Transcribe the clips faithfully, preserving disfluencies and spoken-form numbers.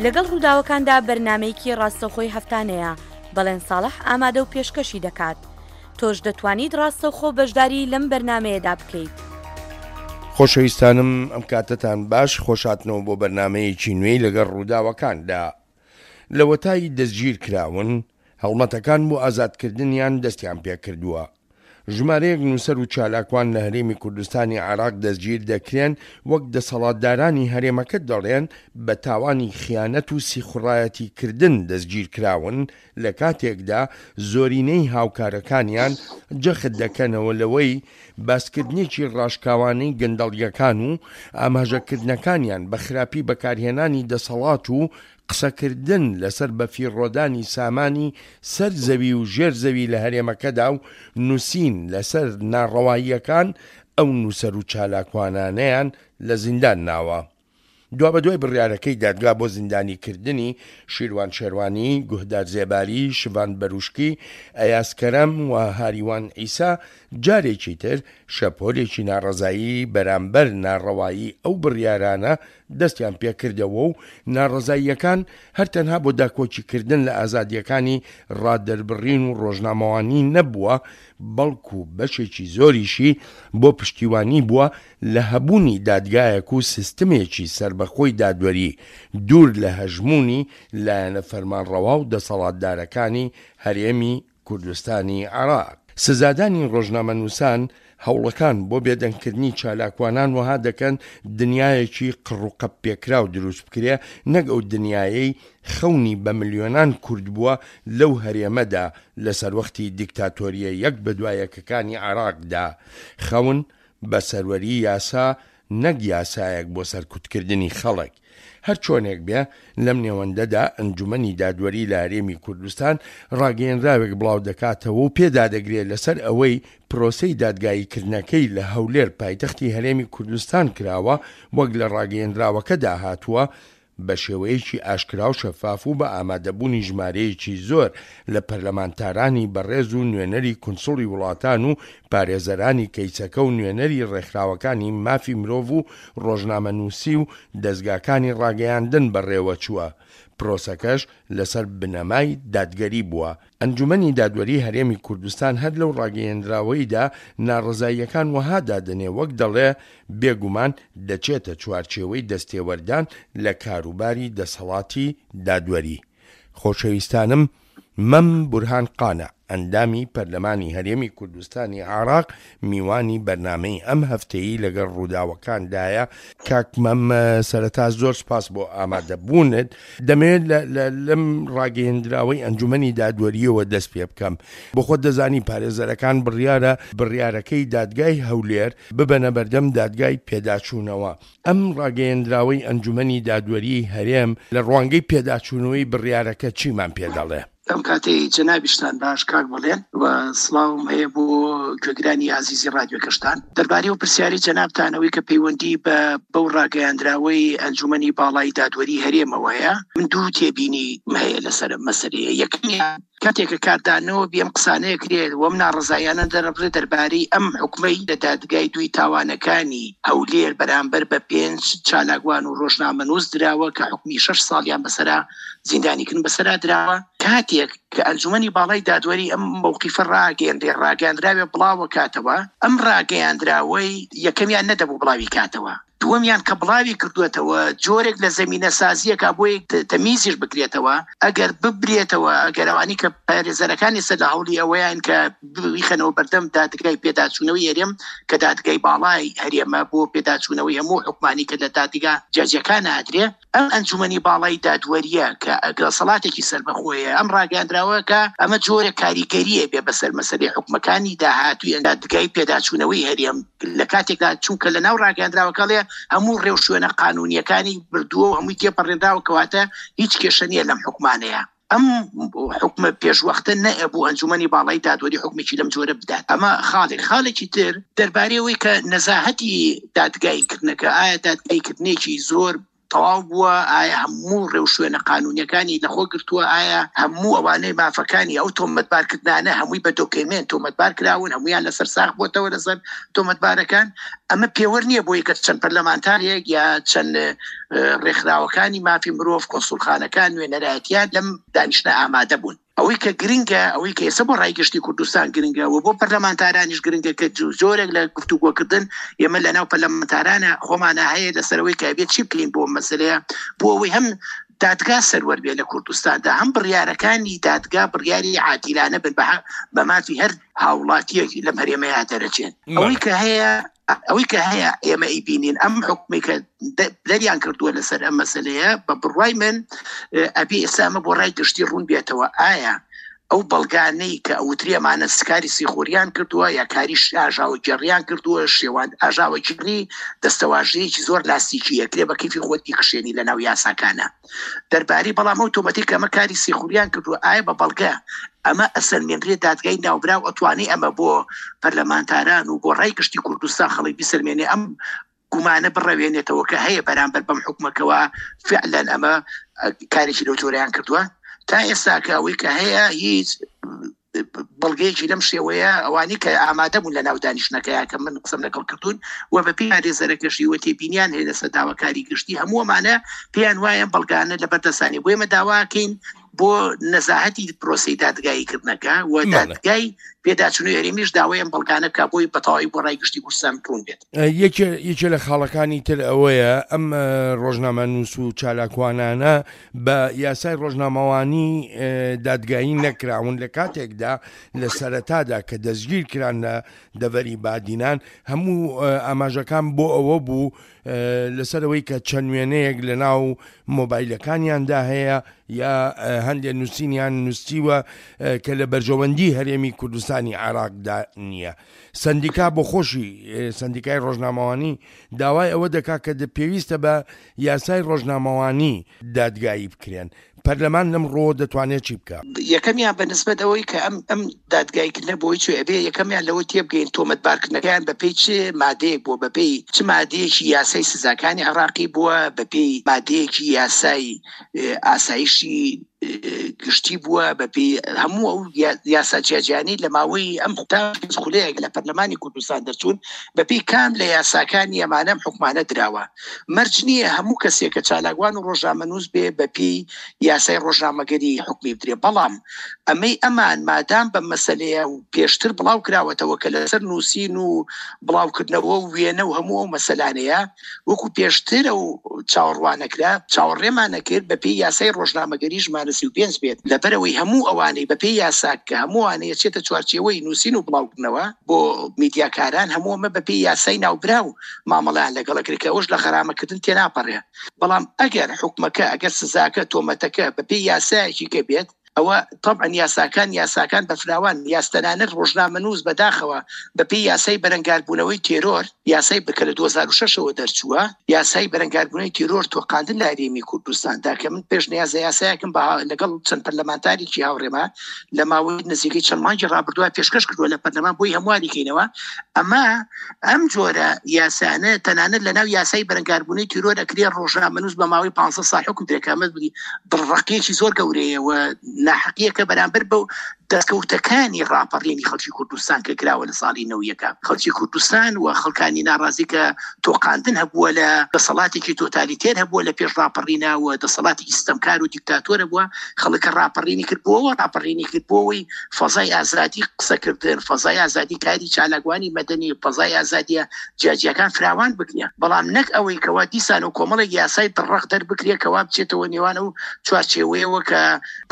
لەگەڵ ڕووداوەکاندا بەرنامەیەکی ڕاستەوخۆی هەفتانەیە، بەڵێن ساڵح ئامادە و پێشکەشی دەکات. تۆش دەتوانیت ڕاستەوخۆ بەشداری لەم بەرنامەیەدا بکەیت. خۆشەویستانم ئەم کاتەتان باش، خۆشهاتنەوە بۆ بەرنامەیەکی نوێی لەگەڵ ڕووداوەکاندا. لەوەتای دەستگیر کراون، هەڵمەتەکان بۆ ئازادکردنیان دەستیان پێکردووە. ژمارەیەک نووسەر و چالاکوان لە هەرێمی کوردستانی عێراق دەستگیر دەکرێن، وەک دەسەڵاتدارانی هەرێمەکە دەڵێن بە تاوانی خیانەت و سیخوڕایەتیکردن دەستگیرکراون، لە کاتێکدا زۆرینەی هاوکارەکانیان جەخت دەکەنەوە لەوەی باسکردنێکی ڕاشکاوانەی گەندەڵییەکان و ئاماژەکردنەکانیان بە خراپی بەکارهێنانی دەسەڵات و قسەکردن لەسەر بەفیڕۆدانی سامانی سەر زەوی و ژێر زەوی لە هەرێمەکەدا و نووسین لەسەر ناڕەواییەکان ئەو نووسەر و چالاکوانانەیان لە زیندان ناوە. دوابەدوای بڕیارەکەی دادگا بۆ زیندانیکردنی شیروان شێروانی، گوهدار زێباری، شڤان بەروشکی، ئەیاز کەرەم و هاریوان عیسا، جارێکی تر شەپۆلێکی ناڕەزایی بەرامبەر ناڕەوایی ئەو بڕیارانە دەستیان پێکردەوە و ناڕەزاییەکان هەر تەنها بۆ داکۆکیکردن لە ئازادییەکانی ڕادەربڕین و ڕۆژنامەوانی نەبووە، بەڵکو بەشێکی زۆریشی بۆ پشتیوانی بووە لە هەبوونی دادگایەک و سیستمێکی سەربەخۆی دادوەری دوور لە هەژموونی لایەنە فەرمانڕەوا و دەسەڵاتدارەکانی هەرێمی کوردستانی عێراق. سزادانی ڕۆژنامەنووسان، هەوڵەکان بۆ بێدەنگکردنی چالاکوانان وەها دەکەن دنیایەکی قڕوقەپپێکراو دروست بکرێ، نەک ئەو دنیایەی خەونی بە ملیۆنان کورد بووە لەو هەرێمەدا لە سەروەختی دیکتاتۆرییە یەک بەدوا یەکەکانی عێراقدا، خەون بە سەروەری یاسا نەک یاسایەک بۆ سەرکوتکردنی خەڵک. هەرچۆنێک بێ لەم نێوەندەدا ئەنجومەنی دادوەری لە هەرێمی کوردستان ڕاگەیەنراوێک بڵاودەکاتەوە و پێدادەگرێ لەسەر ئەوەی پرۆسەی دادگاییکردنەکەی لە هەولێر پایتەختی هەرێمی کوردستان کراوە، وەک لە ڕاگەیەنراوەکەدا هاتووە، بە شێوەیەکی ئاشکرا و شەفاف و بە ئامادەبوونی ژمارەیەکی زۆر لە پەرلەمانتارانی بەڕێز و نوێنەری کونسوڵی وڵاتان و پارێزەرانی کەیسەکە و نوێنەری ڕێکخراوەکانی مافی مرۆڤ و ڕۆژنامەنووسی و دەزگاکانی ڕاگەیاندن بەڕێوەچووە، پرۆسەکەش لەسەر بنەمای دادگەری بووە. ئەنجومەنی دادوەری هەرێمی کوردستان هەر لەو ڕاگەیەنراوەیدا ناڕەزاییەکان وەها دادەنێ وەک دەڵێ بێگومان دەچێتە چوارچێوەی دەستێوەردان لە کاروباری دەسەڵاتی دادوەری. خۆشەویستانم مەم بورهان قانع ئەندامی پەرلەمانی هەرێمی کوردستانی عێراق میوانی بەرنامەی ئەم هەفتەیی لەگەڵ ڕووداوەکاندایە. کاک مەم سەرەتا زۆر سپاس بۆ ئامادەبوونت. دەمەوێت لەم ڕاگەیەندراوەی ئەنجومەنی دادوەرییەوە دەست پێ بکەم. بۆ خۆت دەزانی پارێزەرەکان بڕیارە بڕیارەکەی دادگای هەولێر ببەنە بەردەم دادگای پێداچوونەوە. ئەم ڕاگەیەندراوەی ئەنجومەنی دادوەریی هەرێم لە ڕوانگەی پێداچوونەوەی بڕیارەکە چیمان پێ دەڵێ؟ ئەم کاتەی جەنابیشتان باش کاک بەڵێن و سڵاوم هەیە بۆ گوێگرانی ئازیزی ڕادیۆکەشتان. دەربارەی ئەو پرسیارەی جەنابتانەوەی کە پەیوەندی بە بەو ڕاگەیاندراوەی ئەنجومەنی باڵای دادوەری هەرێمەوە هەیە، من دوو تێبینیم هەیە لەسەر ئەم مەسەلەیە. یەکەمیان کاتێک کە کاردانەوە بی ئەم قسانەیە کرێت و ئەم ناڕەزاییانە دەرەبڕێت دەربارەی ئەم حوکمەی لە دادگای دووی تاوانەکانی هەولێر بەرامبەر بە پێنج چالاکوان و ڕۆژنامەنووس دراوە کە حوکمی شەش ساڵیان بەسەرا زیندانیکردن بەسەرا دراوە، کاتێک کە ئەنجومەنی باڵای دادوەری ئەم مەوقیفە ڕاگەیەنرێ ڕاگەیاندراوێ بڵاوەکاتەوە، ئەم ڕاگەیاندراوەی یەکەمیان نەدەبوو بڵاوی کاتەوە، دووەمیان کە بڵاوی کردووەتەوە جۆرێک لە زەمینە سازیەکە بۆی تەمیزیش بکرێتەوە، ئەگەر ببرێتەوە، ئەگەر ئەوانی کە پارێزەرەکانی سەر لە هەوڵی ئەوەیان کە بیخەنەوە بەردەم دادگای پێداچوونەوەی هەرێم کە دادگای باڵای هەرێمە بۆ پێداچوونەوەی هەموو حکومانی کە لە دادگا جیاجیاکان ئادرێ، ئەم ئەنجومەنی باڵای دادوەریە کە دەسەڵاتێکی سەربەخۆیە ئەم ڕاگەیاندراوە کە ئەمە جۆرە کاریگەریە بێ بەسەر مەسەلەی حکومەکانی داهاتووی دادگای پێداچوونەوەی هەرێم لە کاتێکدا چونکە لە ناو ڕاگەیاندراوەکە ڵێ هەموو ڕێوشوێنە قانونیەکانی بردووە و هەمووی تێپەڕێنراوە، کەواتە هیچ کێشە نییە لەم حکومانەیە. ئەم حکومە پێشوەختە نەبوو ئەنجومەنی باڵای دادوەری حکومێکی لەم جۆرە بدات. ئەمە خاڵێک. خاڵێکی تر دەربارەی ئەوەی کە نەزاهەتی دادگاییکردنەکە، ئایا دادگاییکردنێکی زۆر تەواو بووە، ئایا هەموو ڕێوشوێنە قانونیەکانی لەخۆ گرتووە، ئایا هەموو ئەوانەی مافەکانی ئەو تۆمەتبارکردنانە هەمووی بە دۆکێمێنت تۆمەتبار کراون، هەمویان لەسەر ساغ بۆتەوە لەسەر تۆمەتبارەکان. ئەمە پێوەر نییە بۆی کە چەند پەرلەمانتارێک یا چەند ڕێکخراوەکانی مافی مرۆڤ، کۆنسوڵخانەکان، نوێنەرایەتیان لەم دانیشتنە ئامادە بوون. ئەوەی کە گرنگە، ئەوەی کە ئێستا بۆ ڕای گشتی کوردستان گرنگە و بۆ پەرلەمانتارانیش گرنگە کە زۆرێک لە گفتوگۆکردن ئێمە لەناو پەرلەمانتارانە خۆمانە هەیە لەسەرەوەی کە بێت چی بکەین بۆ مەسەلەیە، بۆ ئەوەی هەم دادگا سەروەر بێ لە کوردستاندا، هەم بڕیارەکانی دادگا بڕیاری عادیلانە بن بە مافی هەر هاوڵاتیەک لەم هەرێمەیە دەرەچێن. ئەوەی کە هەیە ئەوەی کە هەیە ئێمە ئەیبینین ئەم حکومێک کە دەریان کردووە لەسەر ئەم مەسلەیە، بە بڕوای من ئەبێ ئێستا ئەمە بۆ ڕای گشتی ڕوون بێتەوە. ئایا ئەو بەڵگانەی کە ئەوترێمانە سکاری سیخوریان کردووە یا کاری ئاژاوەگێڕیان کردووە، شێوان ئاژاوەگێڕی دەستەواژەیەکی زۆر لاستیکیە کرێ بە کەیفی خۆت بیکشێنی لەناو یاساکانە دەرباری، بەڵام ئەو تۆمەتێک کە ئەمە کاری سیخوریان کردووە ئایا بە بەڵگە ئەمە ئەسەلمێنرێ دادگای ناوبراو ئەتوانێ ئەمە بۆ پەرلەمانتاران و بۆ ڕای گشتی کوردستان خەڵک بیسەلمێنێ، ئەم گومانە بڕەوێنێتەوە کە هەیە بەرامبەر بەم حکومەکەوە فعلا ئەمە کارێکی لەو جۆرەیان کردووە؟ تا ئێستا کە ئەوەی کە هەیە هیچ بەڵگەیەکی لەم شێوەیە ئەوانی کە ئامادە بوون لە ناو دانیشتنەکەیە کە من قسەم لەگەڵ کردوون و بە پێی پارێزەرەکەشی و تێبینیان هەیە لەسەر داواکاری گشتی، هەموو ئەمانە پێیان وایە بەڵگانە لەبەردەستانی. بۆ ئێمە داواکەین بۆ نەزاهەتی پرۆسەی دادگاییکردنەکە و دادگای پێداچوونەوەی هەرێمیش داوای ئەم بەڵگانە بکا بۆی بەتەواوی بۆ ڕای گشتی کوردستان ڕوون بێت. یەکێ لە خاڵەکانی تر ئەوەیە ئەم ڕۆژنامەنووس و چالاکوانانە بە یاسای ڕۆژنامەوانی دادگایی نەکراون لە کاتێکدا لە سەرەتادا کە دەستگیر کران لە دەڤەری بادینان هەموو ئاماژەکان بۆ ئەوە بوو لەسەرەوەی کە چەند وێنەیەک لە ناو مۆبایلەکانیاندا هەیە یا هەندێک نووسینیان نووسیوە کە لە بەرژەوەندی هەرێمی کوردستانی عێراقدا نییە. سندیکا بۆ خۆشی سندیکای ڕۆژنامەوانی داوای ئەوە دەکات کە پێویستە بە یاسای ڕۆژنامەوانی دادگایی بکرێن. پەرلەمان لەم ڕۆ دەتوانێت چی بکە؟ یەکەمیان بە نسبەت ئەوەی کە ئەم ئەم دادگاییکردنە بۆی چێ ئەبێ یەکەمیان لەوە تێبگەین تۆمەتبارکردنەکەیان بەپێی چ مادەیەک بووە، بەپێی چ مادەیەکی یاسای سزاکانی عێراقی بووە، بەپێی مادەیەکی یاسای ئاسایشی گشتی بووە، بەپێی هەموو ئەو یاسا جیاجیانەی لە ماوەی ئەم خولەیەک لە پەرلەمانی کوردستان دەرچوون بەپێی کام لە یاساکانی ئەمانەم حکومانە دراوە. مەرج نییە هەموو کەسێک کە چالاکوان و ڕۆژنامەنووس بێ بەپێی یاسای ڕۆژنامەگەری حکومی بدرێ، بەڵام ئەمەی ئەمان مادام بە مەسەلەیە و پێشتر بڵاو کراوەتەوە کە لەسەر نووسین و بڵاوکردنەوە و وێنە و هەموو ئەو مەسەلانەیە وەکو پێشتر ئەو چاوەڕوانەکرا چاوەڕێمان نەکرد بەپێی یاسای ڕۆژنامەگەری ژمارە سی و پێنج بێت، لەبەرەوەی هەموو ئەوانەی بەپێی یاسا کە هەموو ئەوانەیە چێتە چوارچێوەی نووسین و بڵاوکردنەوە بۆ میدیاکاران هەموو ئەمە بەپێی یاسای ناوبراو مامەڵەیان لەگەڵ کرد کە ئەوش لە غەرامەکردن تێناپەڕێ. بەڵام ئەگەر حکومەکە ئەگەر سزاکە تۆمەتەکە بەپێی یاسایەکی کە بێت ئەوە طبعا یاساکان یاساکان بەفراوان یاستەنانەت ڕۆژنامەنووس بەداخەوە بەپێی یاسای بەرەنگاربوونەوەی تێرۆر، یاسای بکە لە دوو هەزار و شەش ەوە دەرچووە، یاسای بەرەنگاربوونەوەی تێرۆر تۆقاندن لە هەرێمی کوردستاندا کە من پێشنیازە یاسایەکم لەگەڵ چەند پەرلەمانتارێکی هاوڕێما لە ماوەی نزیکەی چەند مانگی ڕابردووە پێشکەش کردووە لە پەرلەمان بۆی هەمواری کەینەوە. ئەمە ئەم جۆرە یاسانە تەنانەت لەناو یاسای بەرەنگاربوونەوەی تێرۆر ئەکرێ ڕۆژنامەنووس بە ماوەی پانزە ساڵ حکوم درێ کە ئەمە دڵڕەقیەکی زۆر گەورەیە و ناحەقیەکە بەرامبەر بەو دەستکەوتەکانی ڕاپەڕینی خەڵکی کوردستان کە کراوە لە ساڵی نەوەیەکە. خەڵکی کوردستان و خەڵکانی ناڕازی کە تۆقاندن هەبووە لە دەسەڵاتێکی تۆتالیتێر هەبووە لە پێش ڕاپەڕینە و دەسەڵاتێکی ستەمکار و دیکتاتۆر هەبووە، خەڵکە ڕاپەڕینی کرد بۆەوە ڕاپەڕینی کرد بۆەوەی فەزای ئازادی قسەکردن، فەزای ئازادی کاری چالاکوانی مەدەنی، فەزای ئازادیە جیاجیاکان فراوان بکرێ، بەڵام نەک ئەوەی کەوا دیسان و کۆمەڵێک یاسای دڕەق دەربکرێ کەوا بچێتەوە نێوان ئەو چوارچێوەیەوە کە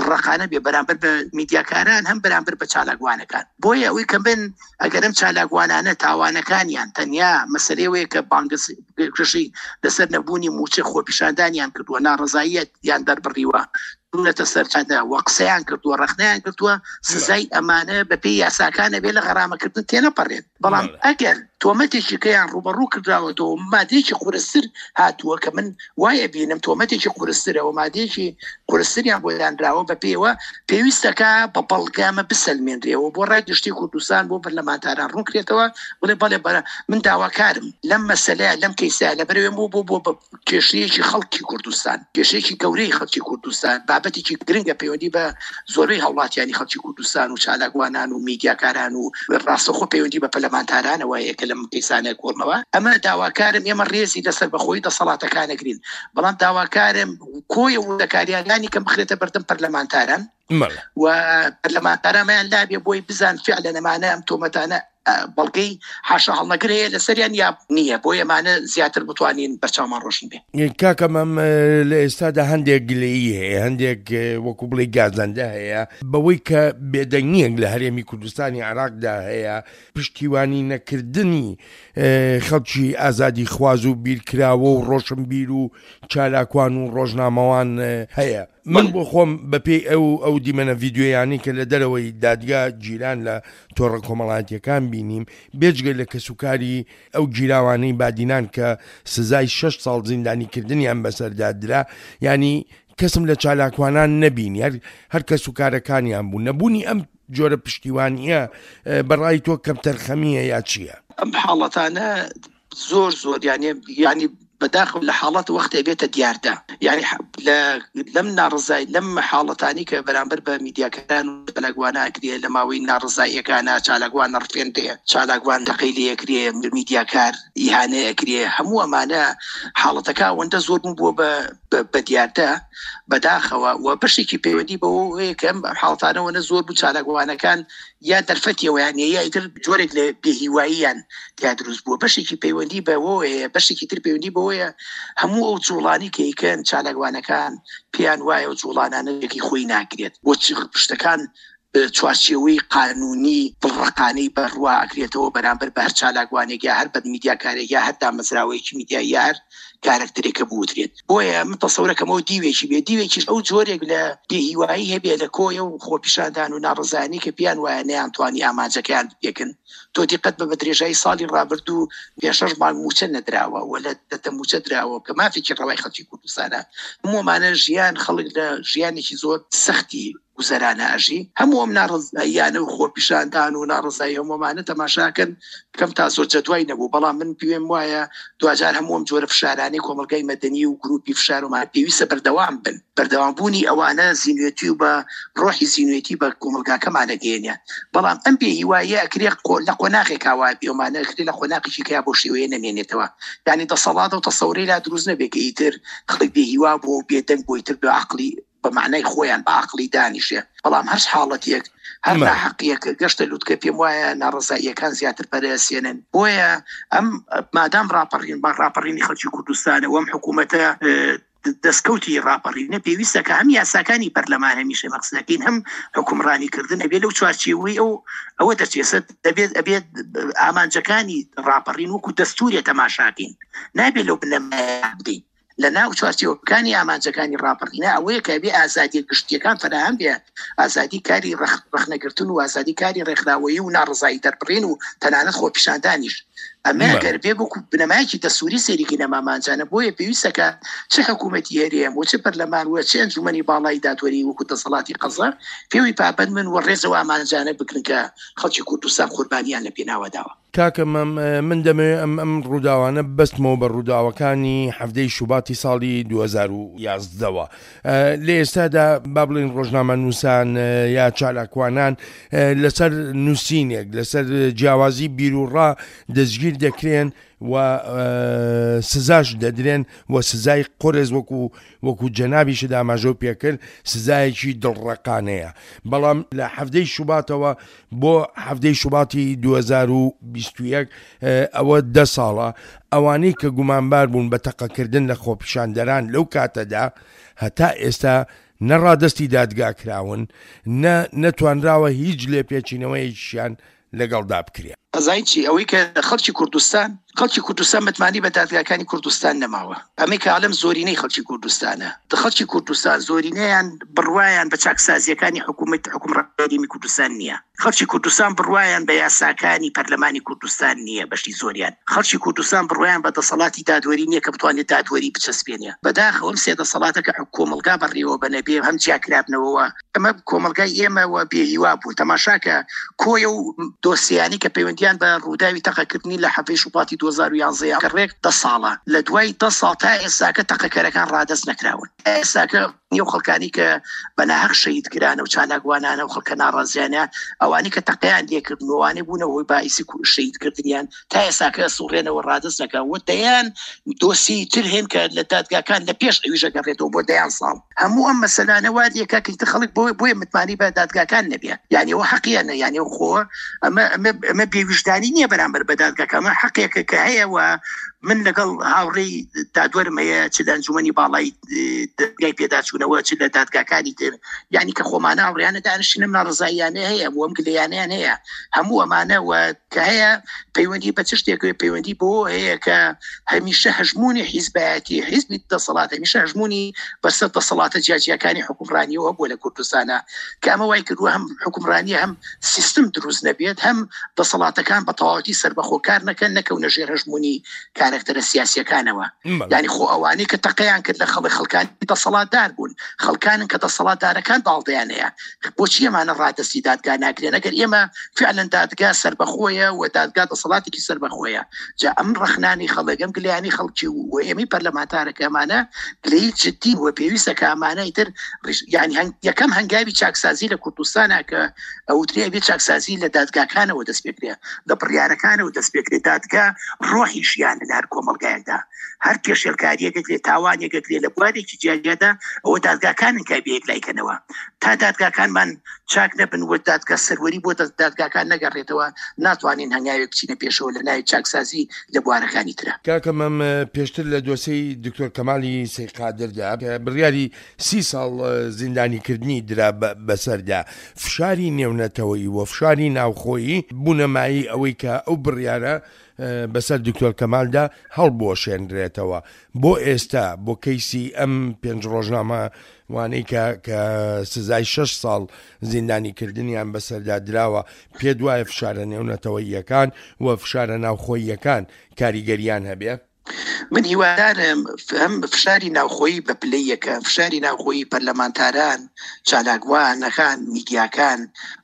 ڕەقانە بێ بەرامبەر بە میدیاکاران هەم بەرامبەر بە چالاکوانەکان. بۆیە ئەوەی کە من ئەگەرم چالاکوانانە تاوانەکانیان تەنیا مەسەلەیەوەیە کە بانگەشەی لەسەر نەبوونی موچە خۆپیشاندانیان کردووە، ناڕەزاییەتیان دەربڕیوە، چوونەتە سەرچادە و قسەیان کردووە، ڕەخنەیان کردووە، سزای ئەمانە بەپێی یاساکانە بێ لە غەرامەکردن تێنەپەڕێت. بەڵام ئەگەر تۆمەتێکی کەیان ڕوبەڕوو کردراوەتەوە مادەیەکی قورستر هاتووە کە من وایە بینم تۆمەتێکی قورسترەوە مادەیەکی قورستریان بۆ دانراوە بە پێوە پێویستەکە بە بەڵگامە بسەلمێنرێەوە بۆ ڕای گشتی کوردستان بۆ پەرلەمانتاران ڕوونکرێتەوە بڵێ بەڵێ بەرە من داواکارم لەم مەسەلەیە لەم کەیسە لەبەرەوێم بۆ بۆ بۆ کێشەیەکی خەڵکی کوردستان، کێشەیەکی گەورەی خەڵکی کوردستان، بابەتێکی گرنگە پەیوەندی بە زۆربەی هاوڵاتیانی خەڵکی کوردستان و چالاکوانان و میدیاکاران و ڕاستەوخۆ پەیوەندی بە پەرلەمانتارانەوە هەیە کە لەم کەیسانە کۆڵنەوە. ئەمە داواکارم ئێمە ڕێزی لەسەر بەخۆی دەسەڵاتەکانەگرین، بەڵام داواکارم کۆی وردەکاریانانی کەم بخرێتە بەردەم پەرلەمانتاران و پەرلەمانتارانیان لابێ بۆی بزان فعلەن ئەمانە ئەم تۆمەتانە بەڵگەی حاشا هەڵنەگر هەیە لەسەریان یا نییە، بۆ ئێمانە زیاتر بتوانین بەرچاومان ڕۆشن بێ. کاکە مام لە ئێستادا هەندێک گلەیی هەیە، هەندێک وەکو بڵێ گازەندە هەیە بەوەی کە بێدەنگیەک لە هەرێمی کوردستانی عێراقدا هەیە، پشتیوانی نەکردنی خەڵکی ئازادی خواز و بیرکراوە و ڕۆشنبیر و چالاکوان و ڕۆژنامەوان هەیە. من بۆ خۆم بەپێی ئەو ئەو دیمەنە ڤیدیۆیانی کە لە دەرەوەی دادگا گیران لە تۆڕە کۆمەڵایەتیەکان بینیم، بێجگە لە کەسوکاری ئەو گیراوانەی بادینان کە سزای شەش ساڵ زیندانیکردنیان بەسەردا درا، ینی کەسم لە چالاکوانان نەبینی، هەر هەر کەسوکارەکانیان بوو. نەبوونی ئەم جۆرە پشتیوانیە بەڕای تۆ کەمتەرخەمیە یا چییە؟ ئەم حاڵەتانە زۆر زۆر یعنی یعنی بەداخەوە لە حاڵەت وەختێ بێتە دیاردە، یعنی لەم ناڕزای لەم حاڵەتانی کە بەرامبەر بە میدیاکاران و چالاکوانە ئەکرێ لە ماوەی ناڕزاییەکانە، چالاکوان نەڕفێندرێ، چالاکوان تەقەی لێ ئەکرێ، میدیاکار ئیهانە ئەکرێ، هەموو ئەمانە حاڵەتەکە ئەوەندە زۆر بوو بووە بە دیاردە بەداخەوە. و بەشێکی پەیوەندی بەوە هەیە کە ئەم حاڵەتانەوە زۆر بوو چالاکوانەکان یا دەرفەتیەوەیان یا ئیتر جۆرێک لە بێهیواییان تیا دروست بووە. بەشێکی پەیوەندی بەوە هەیە، بەشێکی تر پەیوەندی بەوەیە هەموو ئەو جوڵانی کە یکەن چالاکوانەکان پێیان وایە و جوڵانانە یەکی خۆی ناکرێت بۆ شتەکان چوارچێوەی قانونی دڵڕەقانەی بەڕوا ئەکرێتەوە بەرامبەر بە هەر چالاکوانێک یا هەر بە میدیاکارێک یا هەر دامەزراوەیەکی میدیایی یا هەر کارەکتەرێکە بوترێت. بۆیە من تەسەورەکەمەوە دیوێکی بێ، دیوێکیش ئەو جۆرێک لە بێهیوایی هەبێ لە کۆیە و خۆپیشاندان و ناڕزانی کە پێیان وایە نەیانتوانی ئامانجەکەیان بپێکن. تۆ دیقەت بە بە درێژایی ساڵی ڕابردوو پێ شەش مانگ موچە نەدراوە و لە دەتە موچە دراوە کە مافێکی ڕەوای خەڵکی کوردستانە. هەموو ئەمانە ژیان خەڵک لە ژیانێکی زۆر سەختی گوزەرانە ئەژی. هەموو ئەم ناڕزاییانە و خۆپیشاندان و ناڕزایی هەموومانە تەماشاکەن کەم تا زۆر جەدوای نەبوو، بەڵام من پێم وایە دواجار هەموو ئەم جۆرە فشارانەی کۆمەڵگای مەدەنی و گروپی فشارمان پێویستە بەردەوام بن. بەردەوامبوونی ئەوانە زیینوێتی و بە ڕۆحی زیینوێتی بە کۆمەڵگاکەمانە گەیەنێ. بەڵام ئەم بێهیواییە ئەکرێ لە قۆناغێکا وای بێ، ئەمانە ئەکرێ لە قۆناغێکی کە بۆ شێوەیە نەمێنێتەوە، یعنی دەسەڵات و تەسەورەی لا دروست نەبێ کە ئیتر خەڵک بێهیوا بوو و بێدەنگ بۆ ئیتر بە عەقڵی بە معنای خۆیان بە عەقڵی دانیشێ. بەڵام هەر حاڵەتێک هەر ناحەقیەک گەشتە لوتکە پێم وایە ناڕزاییەکان زیاتر پەرەسێنن. بۆیە ئەم مادام ڕاپەڕین بە ڕاپەڕینی خەڵکی کوردستانە و ئەم حکوومەتە دەستکەوتی ڕاپەڕینە پێویستە کە هەم یاساکانی پەرلەمان هەمیشە مەقسەکەین هەم حکومڕانیکردن ئەبێ لەو چوارچێوەی ئەو ئەوە دەچێسە دەبێت ئەبێت ئامانجەکانی ڕاپەڕین وەکو دەستوورێ تەماشاکەین، نابێت لەو بنەمایە بدەین. لە ناو چوارچێوەکانی ئامانجەکانی ڕاپەڕینە ئەوەیە کە بێ ئازادی گشتیەکان فەراهەم بێ، ئازادی کاری ڕەخنەگرتن و ئازادی کاری ڕێکخراوەیی و ناڕزایی دەربڕین و تەنانەت خۆپیشاندانیش. ئەمە ئەگەر بێ وەکو بنەمایەکی دەستووری سەیرێکی نەمامانجانە، بۆیە پێویستە کە چ حکوومەتی هەرێم و چ پەرلەمان و چ ئەنجومەنی باڵای دادوەری وەکو دەسەڵاتی قەزا پێوی پابەند من و ڕێزەوە ئامانجانە بگرن کە خەڵکی کوردستان قوربانیان لە پێناوە داوە. کاکە مام من دەمەوێت ئەم ئەم ڕووداوانە بەستمەوە بە ڕووداوەکانی حەفتەی شوباتی ساڵی دوو هەزار و یازدەوە. لە ئێستادا با بڵێن ڕۆژنامەنووسان یا چالاکوانان لەسەر نووسینێک لەسەر جیاوازی بیروڕا دەستگیر دەکرێن و سزاش دەدرێن و سزای قورس وەکو وەکو جەنابیشت ئاماژە پێکرد سزایەکی دڵڕەقانەیە. بەڵام لە حەفتەی شوباتەوە بۆ حەفتەی شوباتی دوو هەزار و بیست و یەک ئەوە دە ساڵە ئەوانەی کە گومانبار بوون بە تەقەکردن لە خۆپیشاندەران لەو کاتەدا هەتا ئێستا نەڕادستی دادگا کراون، نە نەتوانراوە هیچ لێپێچینەوەیەکیان لەگەڵدا بکرێ. ئەزای چی؟ ئەوەی کە خەڵکی کوردستان خەڵکی کوردستان متمانی بە دادگاکانی کوردستان نەماوە. ئەمەی کە عالم زۆرینەی خەڵکی کوردستانە. خەڵکی کوردستان زۆرینەیان بڕوایان بە چاکسازیەکانی حکوومەت حکومڕانی کوردستان نییە. خەڵکی کوردستان بڕوایان بە یاساکانی پەرلەمانی کوردستان نییە، بەشی زۆریان. خەڵکی کوردستان بڕوایان بە دەسەڵاتی دادوەری نییە کە بتوانێت دادوەری بچەسپێنێ. بەداخەوە ئەم سێ دەسەڵاتە کە کۆمەڵگا بەڕێوە بەنەبێ هەم جیاکرابنەوە، ئەمە کۆمەڵگای ئێمەوە بێهیوا بوو. تەماشاکە کۆیە و دۆسیانی کە پەیوەندیان بە ڕووداوی تەقەکردنی لە حەفتەی شوباتی دوو هەزار و یازدە کە ڕێک دە ساڵە، لە دوای دە ساڵ تا ئێستاکە تەقەکەرەکان ڕادەست نەکراون. ئێستاکە ئەو خەڵکانی کە بەناهەق شەهید کرانە و چالاکوانانە و خەڵکە ناڕازیانە، ئەوانەی کە تەقەیان لێکردن و ئەوانەی بوونە هۆی باعیسی شەهیدکردنیان تا ئێستاکە سوڕێنەوە ڕادەست نەکەن. و دەیان دۆسیەی تر هەن کە لە دادگاکان لە پێش ئەویش ئەگەڕێتەوە بۆ دەیان ساڵ. هەموو ئەم مەسەلانە وا لێکا کە ئیتر خەڵک بۆیە متمانەی بە دادگاکان نەبێ، یعنی ئەوە حەقیانە، یعنی خۆ ئەمە ئەمە بێویژدانی نییە بەرامبەر بە دادگاکە، ئەمە حەقێکە کە هەیە. و من لەگەڵ هاوڕێی دادوەرم هەیە چ لە ئەنجومەنی باڵای دادگای پێداچوونەوە چ لە دادگاکانی تر، یعنی کە خۆمانە هاوڕێیانە دانیشتنم ناڕەزاییانە هەیە و ئەم گلەیانەیان هەیە. هەموو ئەمانە و کە هەیە پەیوەندی بە چ شتێکەوە پەیوەندی بۆ هەیە کە هەمیشە هەژمونی حیزبایەتی حیزبی دەسەڵات هەمیشە هەژمونی بەسەر دەسەڵاتە جیاجیاکانی حکومڕانیەوە بووە لە کوردستانە، کە ئەمە وای کردووە هەم حکومڕانی هەم سیستم دروست نەبێت، هەم دەسەڵاتەکان بە تەواوەتی سەربەخۆکار نەکەن، نەکەونە ژێر هەژمونی کارەکتەرە سیاسیەکانەوە. یعنی خۆ ئەوانەی کە تەقەیان کرد لە خەڵک خەڵکانی دەسەڵاتدار بوون، خەڵکانن کە دەسەڵاتدارەکان داڵدەیان هەیە. بۆچی ئەمانە ڕادەستی دادگا ناکرێن؟ ئەگەر ئێمە فعلا دادگا سەربەخۆیە و دادگا دەسەڵاتێکی سەربەخۆیە، جا ئەم ڕەخنانی خەڵک، ئەم گلەیانی خەڵکی و ئێمەی پەرلەمانتارەکە ئەمانە گلەی جدی و پێویستە کە ئەمانە ئیتر یعنی یەکەم هەنگاوی چاکسازی لە کوردستانە کە ئەوترێ ئەبێ چاکسازی لە دادگاکانەوە دەست پێکرێ، لە بڕیارەکانەوە دەست پێکرێ. دادگا ڕۆحی ژیانە لە هەر کۆمەڵگایەکدا، هەر پێشێلکاریەکە کرێ، تاوانێکە کرێ لە بوارێکی جیاجیادا، ئەوە دادگاکانن کە بێ یەکلایکەنەوە. تا دادگاکانمان چاک نەبن و دادگا سەروەری بۆ دادگاکان نەگەڕێتەوە، ناتوانین هەنگاوێک بچینە پێشەوە لە ناوی چاکسازی لە بوارەکانی ترە. کاکە مەم، پێشتر لە دۆسیەی دکتۆر کەمالی سەید قادردا بڕیاری سی ساڵ زیندانیکردنی درا بەسەردا، فشاری نێونەتەوەیی و فشاری ناوخۆیی بوونە مایەی ئەوەی کە ئەو بڕیارە بەسەر دکتۆر کەمالدا هەڵبوەشێنرێتەوە. بۆ ئێستا بۆ کەیسی ئەم پێنج ڕۆژنامە وانەی کە کە سزای شەش ساڵ زیندانیکردنیان بەسەردا دراوە، پێ دوایە فشارە نێونەتەوەییەکان و فشارە ناوخۆییەکان کاریگەریان هەبێ؟ من هیوادارم هەم فشاری ناوخۆیی بە پلەی یەکەم، فشاری ناوخۆیی پەرلەمانتاران، چالاکوانەکان، میدیاکان،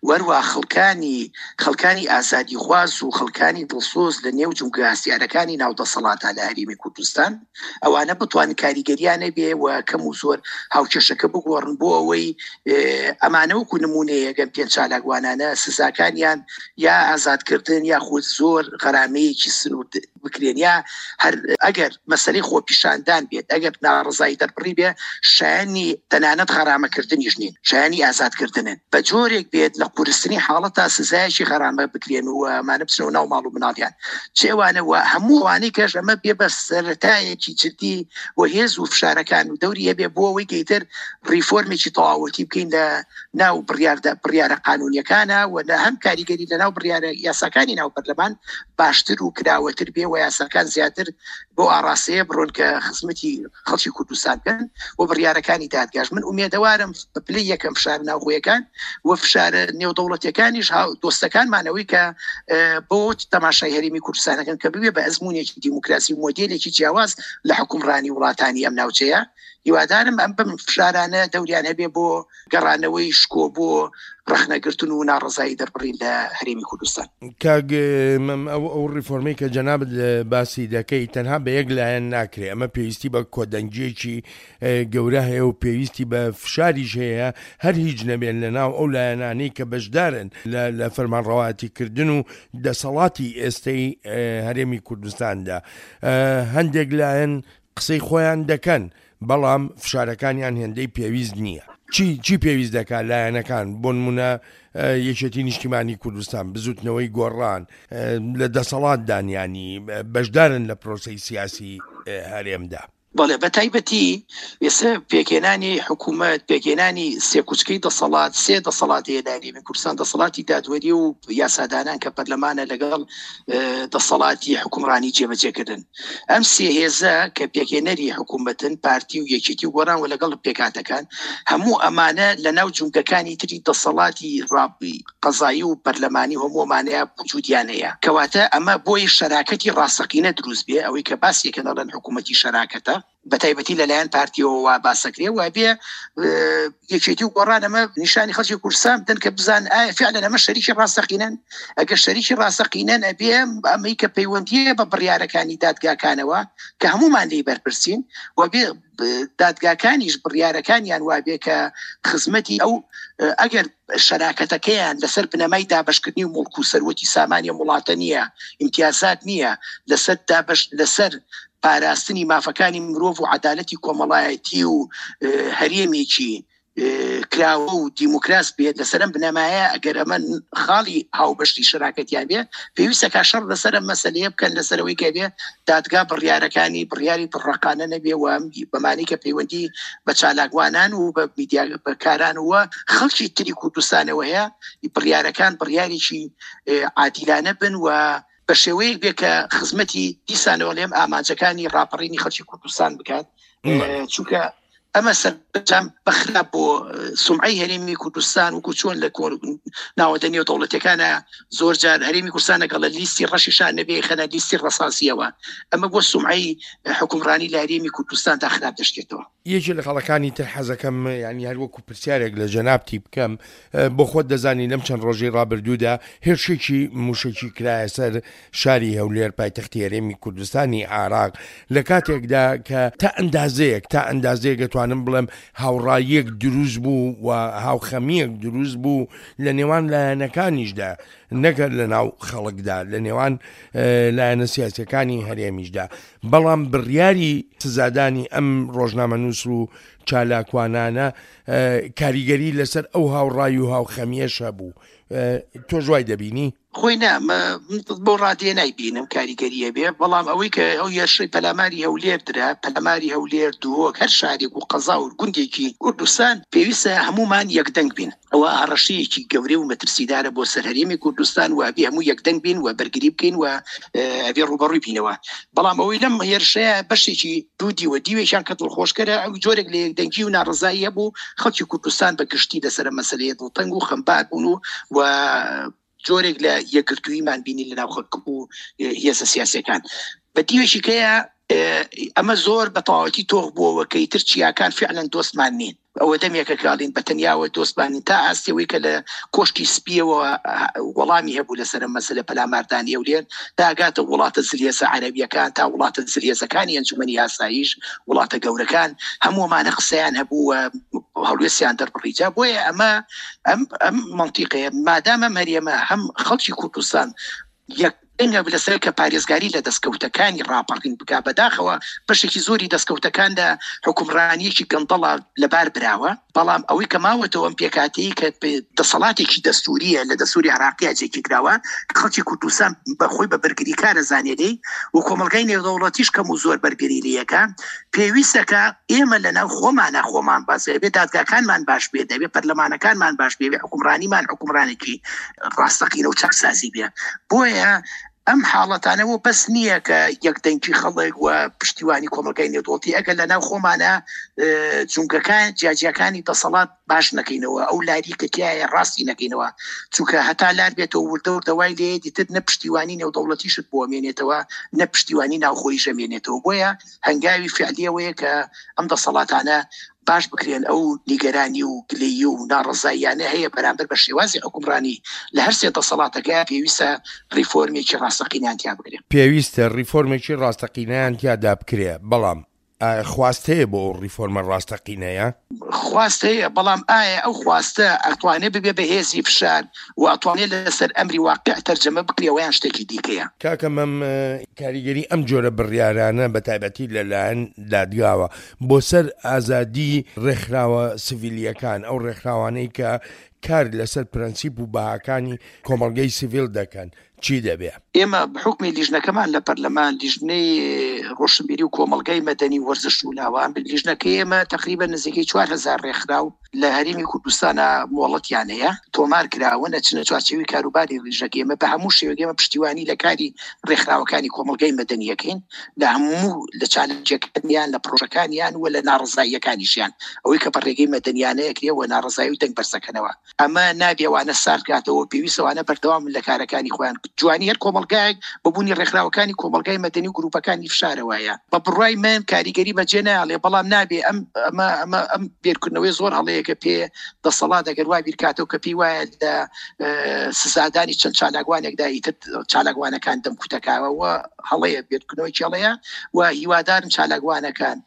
وەروە خەڵکانی خەڵکانی ئازادیخواز و خەڵکانی دڵسۆز لە نێو جومگە هەستیارەکانی ناو دەسەڵاتە لە هەرێمی کوردستان، ئەوانە بتوانن کاریگەریانە بێ و کەم و زۆر هاوکێشەکە بگۆڕن بۆ ئەوەی ئەمانە وەکو نمونەیەگەن پێنج چالاکوانانە سزاکانیان یا ئازادکردن یا خود زۆر غەرامەیەکی سنوور بکرێن، یا هەر ئەگەر مەسەلەی خۆپیشاندان بێت، ئەگەر ناڕەزایی دەربڕی بێ، شایانی تەنانەت غەرامەکردنیش نین، شایانی ئازادکردنن. بە جۆرێک بێت لە قورستنی حاڵەتا سزایەکی غەرامە بکرێن و ئەمانە بچنەوە ناو ماڵ و مناڵیان. چێوانە و هەموو ئەوانەی کەش ئەمە بێ بە سەرەتایەکی جدی و هێز و فشارەکان و دەوری هەبێ بۆ ئەوەی کە ئیتر ڕیفۆرمێکی تەواوەتی بکەین لە ناو بڕیارە قانونیەکانە و لە هەم کاریگەری لە ناو بڕیارە یاساکانی ناو پەرلەمان باشتر و کراوەتر بێ و یاساکان زیاتر بۆ ئاراستەیە بڕۆن کە خزمەتی خەڵکی کوردستان بکەن و بڕیارەکانی دادگاش. من ئومێدەوارم بە پلەی یەکەم فشار ناوخۆیەکان و فشارە نێودەوڵەتیەکانیش دۆستەکانمانەوەی کە بۆ تەماشای هەرێمی کوردستانەکەن کە ببێ بە ئەزمونێکی دیموکراسی و مۆدێلێکی جیاواز لە حکومڕانی وڵاتانی ئەم ناوچەیە. هیوادارم ئەم بەم فشارانە دەوریان هەبێ بۆ گەڕانەوەی شکۆ بۆ ڕەخنەگرتن و ناڕەزایی دەربڕین لە هەرێمی کوردستان. کاک مەم، ئەو ئەو ڕیفۆرمەی کە جەنابت باسی دەکەی تەنها بە یەک لایەن ناکرێ، ئەمە پێویستی بە کۆدەنگیەکی گەورە هەیە و پێویستی بە فشاریش هەیە، هەر هیچ نەبێن لە ناو ئەو لایەنانەی کە بەشدارن لە فەرمانڕەواتیکردن و دەسەڵاتی ئێستەی هەرێمی کوردستاندا. هەندێک لایەن قسەی خۆیان دەکەن، بەڵام فشارەکانیان هێندەی پێویست نییە. چی چی پێویست دەکات لایەنەکان؟ بۆ نمونە یەکێتی نیشتیمانی کوردستان، بزوتنەوەی گۆڕان لە دەسەڵاتدانیانی بەشدارن لە پرۆسەی سیاسی هەرێمدا. بەڵێ، بە تایبەتی ئێستا پێکهێنانی حکوومەت، پێکهێنانی سێکوچکەی دەسەڵات، سێ دەسەڵات هەیە لە هەرێمی کوردستان، دەسەڵاتی دادوەری و یاسادانان کە پەرلەمانە لەگەڵ دەسەڵاتی حکومڕانی جێبەجێکردن. ئەم سێ هێزە کە پێکهێنەری حکوومەتن، پارتی و یەکێتی و گۆڕان و لەگەڵ پێکهاتەکان، هەموو ئەمانە لە ناو جومگەکانی تری دەسەڵاتی قەزایی و پەرلەمانی هەموو ئەمانەیە وجودیان هەیە. کەواتە ئەمە بۆی شەراکەتی ڕاستەقینە دروست بێ، ئەوەی کە باسیەکە دەڵێن حکوومەتی شەراکەتە، بە تایبەتی لەلایەن پارتیەوە وا باسەکرێ و بێ یەکێتی و گۆڕان ئەمە نیشانی خەڵکی کوردستان بدەن کە بزان ئایا فعلا ئەمە شەریکی ڕاستەقینەن. ئەگەر شەریکی ڕاستەقینەن ئەبێ ئەمەی کە پەیوەندیە بە بڕیارەکانی دادگاکانەوە کە هەمومان لێی بەرپرسین و بێ دادگاکانیش بڕیارەکانیان وابێ کە خزمەتی ئەو ئەگەر شەراکەتەکەیان لەسەر بنەمای دابەشکردنی و مڵک و سەروەتی سامانی وڵاتە نییە، ئیمتیازات نییە، لەسەر دابەش لەسەر پاراستنی مافەکانی مرۆڤ و عەدالەتی کۆمەڵایەتی و هەرێمێکی کراوە و دیموکراس بێت، لەسەر ئەم بنەمایە ئەگەر ئەمە خاڵی هاوبەشی شەراکەتیان بێ پێویستە کە شەڕ لەسەر ئەم مەسەلەیە بکەن، لەسەرەوەی کە بێ دادگا بڕیارەکانی بڕیاری دڕەقانە نەبێ و بەمانی کە پەیوەندی بە چالاکوانان و بە میدیاکاران و خەڵکی تری کوردستانەوە هەیە، بڕیارەکان بڕیارێکی عادیلانە بن و بە شێوەیەک بێ کە خزمەتی دیسانەوە لێم ئامانجەکانی ڕاپەڕینی خەڵکی کوردستان بکات. چونکە ئەمە سەرجام بەخراپ بۆ سومعەی هەرێمی کوردستان وەکو چۆن لە ناوەندە نێودەوڵەتیەکانە زۆر جار هەرێمی کوردستان لەگەڵ لیستی ڕەشیشان نەبێ خەنە لیستی ڕەساسیەوە، ئەمە بۆ سومعەی حکومڕانی لە هەرێمی کوردستان تا خراپ دەشتێتەوە. یەکێ لە خەڵەکانی تر حەزەکەم یعنی هەر وەکو پرسیارێک لە جەنابتی بکەم، بۆ خۆت دەزانی لەم چەند ڕۆژەی ڕابردوودا هێرشێکی موشەکی کرایە سەر شاری هەولێر پایتەختی هەرێمی کوردستانی عێراق، لە کاتێکدا کە تا ئەندازەیەک تا ئەندازەیەک دەتوانم بڵێم هاوڕاییەک دروست بوو و هاوخەمیەک دروست بوو لە نێوان لایەنەکانیشدا، نەگەر لە ناو خەڵکدا، لە نێوان لایەنە سیاسیەکانی هەرێمیشدا، بەڵام بڕیاری سزادانی ئەم ڕۆژنامەنووس و چالاکوانانە کاریگەری لەسەر ئەو هاوڕای و هاوخەمیەش هەبوو. تۆ ژوای دەبینی؟ خۆی نا، بۆ ڕادێ نایبینم کاریگەریە بێ، بەڵام ئەوەی کە ئەو هێرشەی پەلاماری هەولێر درا، پەلاماری هەولێر، دهۆک، هەر شارێک و قەزا و گوندێکی کوردستان پێویستە هەمومان یەکدەنگ بین. ئەوە هەڕەشەیەکی گەورە و مەترسیدارە بۆ سەر هەرێمی کوردستان و ئەبێ هەموو یەکدەنگ بین و بەرگری بکەین و ئەبێ ڕووبەڕووی بینەوە. بەڵام ئەوەی لەم هێرشەیە بەشێکی دوو دیوە، دیوێکیان کە دڵخۆشکەرە، ئەو جۆرێک لە یەکدەنگی و ناڕەزایی هەبوو، خەڵکی کوردستان بە گشتی لەسەر مەسەلەیە دڵتەنگ و خەمبار بوون و جۆرێک لە یەکگرتوویمان بینی لە ناو خەڵک و هێزە سیاسیەکان. بە دیوێکی کەیە ئەمە زۆر بە تەواوەتی تۆخ بووەوە کە ئیتر چیاکان فعلا دۆستمان نین. ئەوە دەمێکە کاڵین بە تەنیاوە دۆستمانین تا ئاستیەوەی کە لە کۆشکی سپیەوە وەڵامی هەبوو لەسەر مەسەلە پەلاماردانی هەولێر، تا گاتە وڵاتە زلهێزە عەرەبیەکان، تا وڵاتە زلهێزەکانی ئەنجومەنی ئاسایش، وڵاتە گەورەکان، هەموومانە قسەیان هەبوو و هەڵوێستیان دەربڕیجا. بۆیە ئەمە ئەم ئەم منطیقەیە مادامە مەریەمە هەم خەڵکی کوردستان یەک دەنگە لەسەر کە پارێزگاری لە دەستکەوتەکانی ڕاپەڕین بکا، بەداخەوە بەشێکی زۆری دەستکەوتەکان لە حکومڕانیەکی گەندەڵە لەبار براوە، بەڵام ئەوەی کە ماوەتەوە ئەم پێکاتەیە کە دەسەڵاتێکی دەستوریە لە دەستوری عێراقیە جێگیر کراوە، خەڵکی کوردستان بەخۆی بە بەرگریکارە زانێ و کۆمەڵگای نێودەوڵەتیش کەم و زۆر بەرگری لێیەکە. پێویستەکە ئێمە لەناو خۆمانە خۆمان باس بێ، دادگاکانمان باش بێ، دەبێ پەرلەمانەکانمان باش بێ، حکومڕانیمان حکومڕانێکی ڕاستەقینە و چاکسازی بێ. بۆیە ئەم حاڵەتانەوە بەس نییە کە یەکدەنگی خەڵک و پشتیوانی کۆمەڵگای نێودەوڵەتی، ئەگەر لەناو خۆمانە جونگەکان جیاجیاکانی دەسەڵات باش نەکەینەوە، ئەو لاری کە تیایە ڕاستی نەکەینەوە، چونکە هەتا لار بێتەوە وردە وردە وای لێ دیتر نە پشتیوانی نێودەوڵەتیشت بۆ ئەمێنێتەوە نە پشتیوانی ناوخۆیش ئەمێنێتەوە. بۆیە هەنگاوی فعلیەوەیە کە ئەم دەسەڵاتانە باش بکرێن، ئەو نیگەرانی و گلەیی و ناڕەزاییانە هەیە بەرامبەر بە شێوازی حکومڕانی لە هەر سێ دەسەڵاتەکە، پێویستە ڕیفۆرمێکی ڕاستەقینەیان تیا بکرێ. پێویستە ڕیفۆرمێکی ڕاستەقینەیان تیادا بکرێ، بەڵام خواست هەیە بۆ ئەو ڕیفۆرمە ڕاستەقینەیە؟ خواست هەیە، بەڵام ئایا ئەو خواستە ئەتوانێت ببێ بە هێزی فشار و ئەتوانێت لەسەر ئەمری واقع تەرجەمە بکرێەوە یان شتێکی دیکەیە؟ کاکە مەم، کاریگەری ئەم جۆرە بڕیارانە بە تایبەتی لەلایەن دادگاوە بۆ سەر ئازادی ڕێکخراوە سیڤیلیەکان، ئەو ڕێکخراوانەی کە کار لەسەر پرەنسیپ و بەهاکانی کۆمەڵگەی سیڤیل دەکەن، چی دەبێ؟ ئێمە بحکمی لیژنەکەمان لە پەرلەمان، لیژنەی ڕۆشنبیری و کۆمەڵگای مەدەنی وەرزش و لاوان، لیژنەکەی ئێمە تقریبا نزیکەی چوار هەزار ڕێکخراو لە هەرێمی کوردستانە مۆڵەتیان هەیە، تۆمار کراون، ئەچنە چوارچێوەی کاروباری ڕێژەکە. ئێمە بە هەموو شێوەیەک ئێمە پشتیوانی لە کاری ڕێکخراوەکانی کۆمەڵگای مەدەنیەکەین، لە هەموو لە چالاکیەکانیان، لە پرۆژەکانیان و لە ناڕەزاییەکانیشیان، ئەوەی کە بە ڕێگەی مەدەنیانەیە کرێ و ناڕەزایی و دەنگ بەرزەکەنەوە. ئەمە نابێوانە ساردکاتەوە، پێویستەوانە بەردەوام لە کارەکانی خۆیان. جوانی هەر کۆمەڵگایەک بەبوونی ڕێکخراوەکانی کۆمەڵگای مەدەنی و گروپەکانی فشارەوەیە. بە بڕوای من کاریگەری بەجێ ناڵێ، بەڵام نابێ ئەم ئەمە ئەمە ئەم بێرکردنەوەی زۆر هەڵەیە کە پێ دەسەڵات ئەگەر وا بیرکاتەوە کە پێی وایە لە سزادانی چەند چالاکوانێکدا ئیتر چالاکوانەکان دەمکوتەکاوە، هەڵەیە، بێرکردنەوەی هەڵەیە و هیوادارم چالاکوانەکان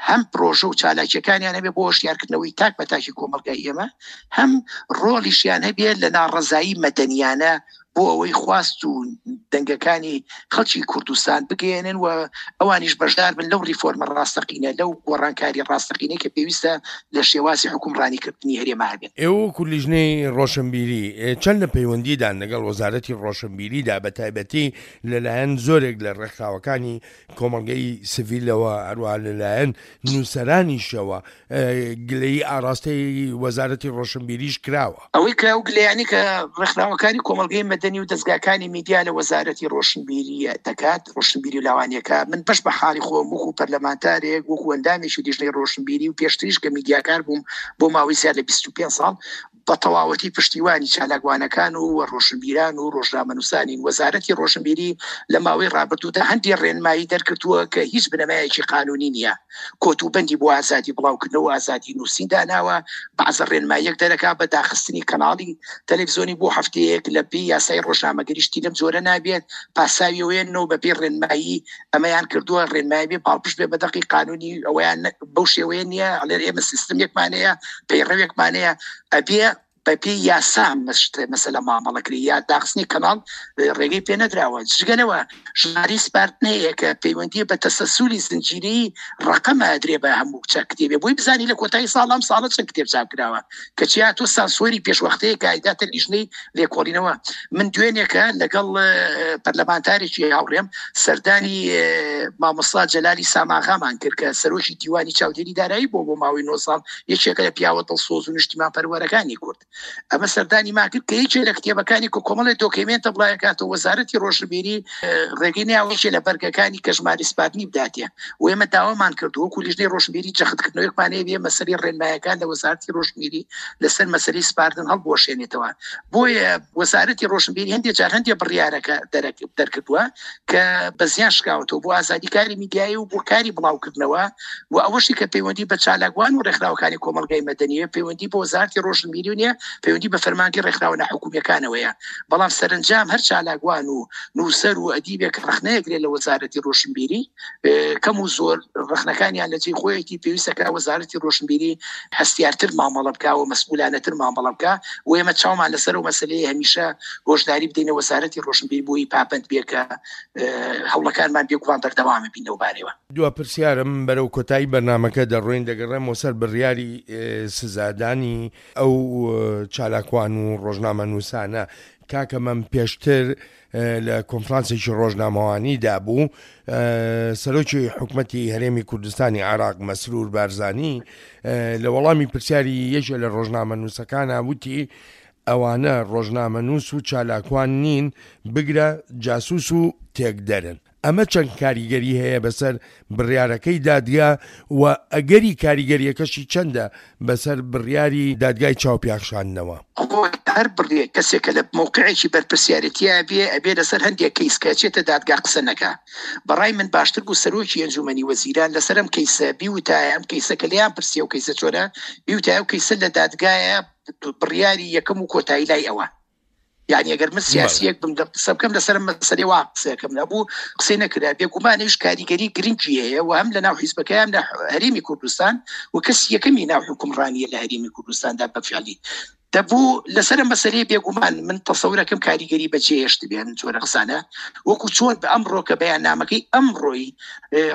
هەم پرۆژە و چالاکیەکانیان هەبێ بۆ هۆشیارکردنەوەی تاک بە تاکی کۆمەڵگای ئێمە، هەم ڕۆڵیشیان هەبێ لە ناڕەزایی مەدەنیانە بۆ ئەوەی خواست و دەنگەکانی خەڵکی کوردستان بگەیەنن و ئەوانیش بەشدار بن لەو ڕیفۆرمە ڕاستەقینە، لەو گۆڕانکاری ڕاستەقینەی کە پێویستە لە شێوازی حکومڕانیکردنی هەرێمە هەبێت. ئێوە وەکو لیژنەی ڕۆشنبیری چەند لە پەیوەندیدان لەگەڵ وەزارەتی ڕۆشنبیریدا، بە تایبەتی لەلایەن زۆرێک لە ڕێکخراوەکانی کۆمەڵگەی سڤیلەوە، هەروەها لەلایەن نووسەرانیشەوە گلەیی ئاراستەی وەزارەتی ڕۆشنبیریش کراوە؟ ئەوەی کە ئەو گلەیانی کە ڕێکخراوەکانی کۆمەڵگەی مەدەنی و دەزگاکانی میدیا لە وەزارەتی ڕۆشنبیری دەکات، ڕۆشنبیری و لاوانیەکە، من بەش بە حاڵی خۆم وەکو پەرلەمانتارێک، وەکو ئەندامێکی لیژنەی ڕۆشنبیری و پێشتریش کە میدیاکار بووم بۆ ماوەی زیاد لە بیست و پێنج ساڵ، بە تەواوەتی پشتیوانی چالاکوانەکان و ڕۆشنبیران و ڕۆژنامەنووسانین. وەزارەتی ڕۆشنبیری لە ماوەی ڕابردوودا هەندێک ڕێنمایی دەرکردووە کە هیچ بنەمایەکی قانونی نییە، کۆتوبەندی بۆ ئازادی بڵاوکردنەوە و ئازادی نووسین داناوە. بەعزە ڕێنماییەک دەرەکا بە داخستنی کەناڵی تەلەڤیزیۆنی بۆ هەفتەیەک لە پێی یاسای ڕۆژنامەگەریشتی لەم جۆرە نابێت، پاساویەوەیەنەوە بە پێی ڕێنمایی ئەمەیان کردووە، ڕێنمایی بێ پاڵپشت بێ بە دەقی قانونی ئەوەیان بەو شێوەیە نییە. ئەڵێن ئێمە سیستمێکمانەیە، پەیڕەوێکمانەیە، ئەبێ بەپێی یاسا مەسەلە مامەڵەکرێ یا داخستنی کەناڵ ڕێگەی پێ نەدراوە. جگەلەوە ژمارەی سپاردن هەیە کە پەیوەندی بە تەسەسولی زنجیرەی ڕەقەمە ئەدرێ بە هەموو چەند کتێبێ، بۆی بزانی لە کۆتایی ساڵ ئەم ساڵە چەند کتێب چاپ کراوە، کە چیا تۆ سانسۆری پێشوەختەیە کە ئایداتە لیژنەی لێکۆڵینەوە. من دوێنێکە لەگەڵ پەرلەمانتارێکی هاوڕێم سەردانی مامۆستا جەلالی ساماغامان کرد کە سەرۆکی دیوانی چاودێری دارایی بۆ بۆ ماوەی نۆ ساڵ، یەکێکە لە پیاوە دڵسۆز و نیشتیمان پەروەرەکانی کورد. ئەمە سەردانی ما کرد کە یەکێ لە کتێبەکانی کە کۆمەڵی دۆکیمێنتە بڵاوەکاتەوە، وەزارەتی ڕۆشنبیری ڕێگەی ناوە یەکێ لە بەرگەکانی کە ژمارەی سپاردنی بداتێ و ئێمە داوامان کردو وەکو لیژنەی ڕۆشنبیری جەختکردنەوەیەکمان هەیە بێ مەسەلەی ڕێنمایەکان لە وەزارەتی ڕۆشنبیری لەسەر مەسەلەی سپاردن هەڵبوەشێنێتەوە. بۆیە وەزارەتی ڕۆشنبیری هەندێک جار هەندێک بڕیارەکە دەرکردووە کە بە زیان شکاوەتەوە بۆ ئازادی کاری میدیایی و بۆ کاری بڵاوکردنەوە و ئەوەشی کە پەیوەندی بە چالاکوان و ڕێکخراوەکانی کۆمەڵگای مەدەنیە، پەیوەندی بە وەزارەتی ڕۆشنبیری نییە، پەیوەندی بە فەرمانگەی ڕێکخراوە ناحکومیەکانەوەیە. بەڵام سەرنجام هەر چالاکوان و نووسەر و ئەدیبێک ڕەخنەیەکرێت لە وەزارەتی ڕۆشنبیری، کەم و زۆر ڕەخنەکانیان لە جێی خۆیەتی. پێویستەکە وەزارەتی ڕۆشنبیری هەستیارتر مامەڵە بکا و مەسئولانەتر مامەڵە بکا و ئێمە چاومان لەسەر ئەو مەسەلەیە هەمیشە هۆشداری بدەینە وەزارەتی ڕۆشنبیری بۆی پابەند بێ کە هەوڵەکانمان بێگومان بەردەوامە بین لەو بارەوە. دوا پرسیارم بەرەو کۆتایی بەرنامەکە دەڕۆین، دەگەڕێمەوە سەر بڕیاری سزادانی ئەو چالاکوان و ڕۆژنامەنووسانە. کاکە مەم پێشتر لە کۆنفرانسێکی ڕۆژنامەوانیدا بوو، سەرۆکی حکومەتی هەرێمی کوردستانی عێراق مەسرور بارزانی لە وەڵامی پرسیاری یەکێ لە ڕۆژنامەنووسەکانە وتی ئەوانە ڕۆژنامەنووس و چالاکوان نین، بگرە جاسوس و تێکدەرن. ئەمە چەند کاریگەری هەیە بەسەر بڕیارەکەی دادگا و ئەگەری کاریگەریەکەشی چەندە بەسەر بڕیاری دادگای چاوپیاخشاندنەوە؟ هەر بڕێ کەسێکە لە موقعێکی بەرپرسیارەتیە بێ ئەبێ لەسەر هەندێک کەیس کە چێتە دادگا قسە نەکا. بەڕای من باشتر بوو سەرۆکی ئەنجومەنی وەزیران لەسەر ئەم کەیسە بیوتایە، ئەم کەیسە کە لێیان پرسیە و کەیسە چۆنە بیوتایە و کەیسە لە دادگایە بڕیاری یەکەم و کۆتایی لای ئەوە. یعنی ئەگەر من سیاسیەک بم قسە بکەم لەسەر مەسەلەی وا قسەکەم نەبوو قسەی نەکرا. بێگومانیش کاریگەری گرنگی هەیە و هەم لە ناو حیزبەکەیان لە هەرێمی کوردستان و کەسی یەکەمی ناو حکومڕانیە لە هەرێمی کوردستاندا بەفعلی دەبوو لەسەر مەسەلەی بێگومان من تەسەورەکەم کاریگەری بەجێهێشت بێن جۆرە قسانە، وەکو چۆن بە ئەمڕۆ کە بەیاننامەکەی ئەمڕۆی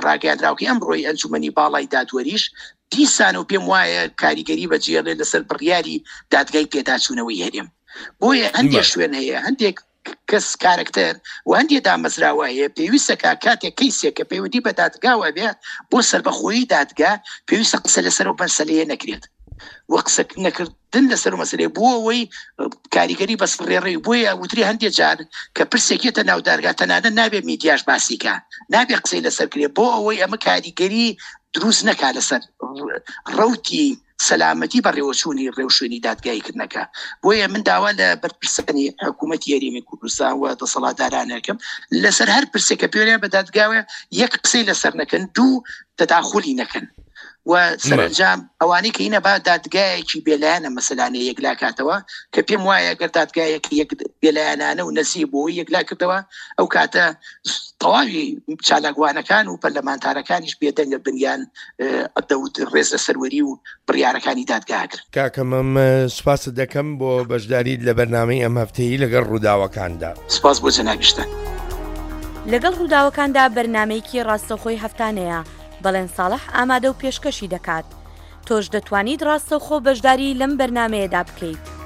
ڕاگەیاندراوکەی ئەمڕۆی ئەنجومەنی باڵای دادوەریش دیسان و پێم وایە کاریگەری بەجێڵێ لەسەر بڕیاری دادگای پێداچوونەوەی هەرێم. بۆیە هەندێک شوێن هەیە، هەندێک کەس کارکتەر و هەندێک دامەزراوە هەیە پێویستە کە کاتێک کەیسێک کە پەیوەندی بە دادگاوە بێ بۆ سەربەخۆیی دادگا پێویستە قسە لەسەر ئەو مەسەلەیە نەکرێت. و قسە نەکردن لەسەر مەسلەی بۆ ئەوەی کاریگەری بەس ڕێڕەوی. بۆیە وتری هەندێک جار کە پرسێکێتە ناو دارگا تەنانەت نابێ میدیاش باسیکە، نابێ قسەی لەسەر کرێ، بۆ ئەوەی ئەمە کاریگەری دروست نەکا لەسەر ڕەوتی سەلامەتی بەڕێوەچوونی ڕێوشوێنی دادگاییکردنەکە. بۆیە من داوا لە بەرپرسانی حکوومەتی هەرێمی کوردستان و دەسەڵاتدارانەکەم لەسەر هەر پرسێک کە پێویان بە دادگاوە یەک قسەی لەسەر نەکەن، دوو تەداخولی نەکەن و سەرەنجام ئەوانەی کە هینە با دادگایەکی بێلایەنە مەسەلانە یەکلا کاتەوە، کە پێم وایە ئەگەر دادگایەکی یەک بێلایەنانە و نەزیه بۆ یەکلا کردەوە ئەو کاتە تەواوی چالاکوانەکان و پەرلەمانتارەکانیش بێدەنگە بنیان دەوت ڕێز لە سەروەری و بڕیارەکانی دادگا کرد. کاکە مەم سوپاست دەکەم بۆ بەشداریت لە بەرنامەی ئەم هەفتەیی لەگەڵ ڕووداوەکاندا. سوپاس بۆ جەنابیشتان. لەگەڵ ڕووداوەکاندا بەرنامەیەکی ڕاستەوخۆی هەفتانەیە، بەڵێن ساڵح ئامادە و پێشکەشی دەکات. تۆش دەتوانیت ڕاستەوخۆ بەشداری لەم بەرنامەیەدا بکەیت.